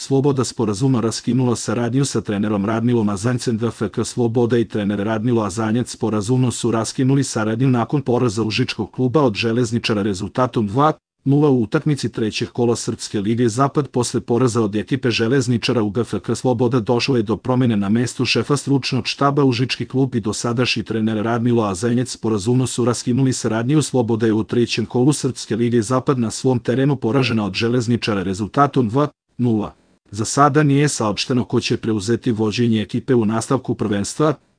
Sloboda sporazumno raskinula saradnju sa trenerom Radmilom Azanjcem. DFK Sloboda i trener Radmilo Azanjac sporazumno su raskinuli saradnju nakon poraza Užičkog kluba od Železničara rezultatom 2:0 u utakmici trećeg kola Srpske lige Zapad. Posle poraza od ekipe Železničara u GFK Sloboda došlo je do promene na mestu šefa stručnog štaba. Užički klub i dosadašnji trener Radmilo Azanjac sporazumno su raskinuli saradnju. Sloboda je u trećem kolu Srpske lige Zapad na svom terenu poražena od Železničara rezultatom 2:0. Za sada nije saopšteno ko će preuzeti vođenje ekipe u nastavku prvenstva.